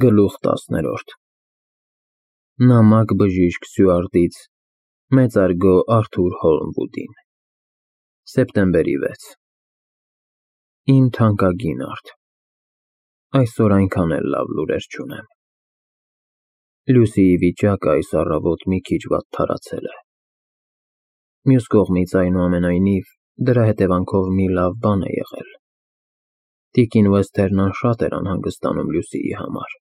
Գլուխ 10 Նամակ բժիշկ Սյուարտից մեծարգո Արթուր Հոլմվուդին Սեպտեմբերի 6 Իմ թանկագին Արթ, այսօր այնքան էլ լավ լուրեր չունեմ։ Լուսիի վիճակը այս առավոտ մի քիչ վատթարացել է։ Մյուս կողմից, այնուամենայնիվ, դրա հետևանքով մի լավ բան է եղել։ Տիկին Վեսթերնան շատ էր անհանգստանում Լուսիի համար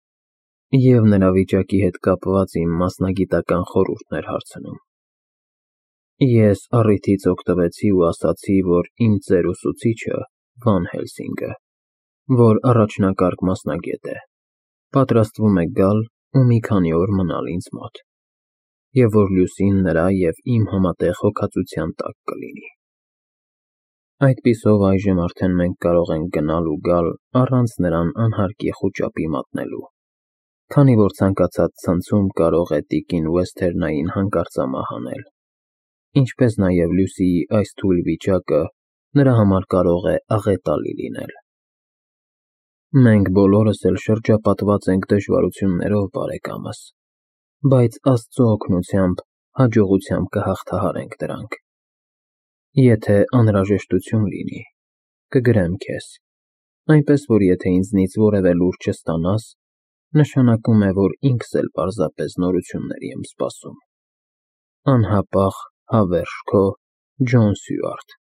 և նրա վիճակի հետ կապված իմ մասնագիտական խորհուրդն էր հարցնում։ Ես առիթից օգտվեցի ու ասացի, որ իմ ծեր ուսուցիչը Վան Հելսինգը, որ առաջնակարգ մասնագետ է, պատրաստվում է գալ ու մի քանի օր մնալ ինձ մոտ, և որ Լուսին նրա և իմ համատեղ հոգածության տակ կլինի։ Այդպիսով այժմ արդեն մենք կարող ենք գնալ ու գալ առանց նրան անհարկի խուճապի մատնելու, քանի որ ցանկացած ցնցում կարող է տիկին Վեսթերնային հանկարծամահ անել, ինչպես նաև Լուսիի այս թույլ վիճակը նրա համար կարող է աղետալի լինել։ Մենք բոլորս էլ շրջապատված ենք դժվարություններով, բարեկամս, բայց Աստծո օգնությամբ հաջողությամբ կհաղթահարենք դրանք։ Եթե անհրաժեշտություն լինի, կգրեմ քեզ, այնպես որ եթե ինձնից որևէ լուր չստանաս, նշանակում է, որ ինքս էլ պարզապես նորությունների եմ սպասում։ Անհապաղ, հավերժ քո Ջոն Սյուարտ։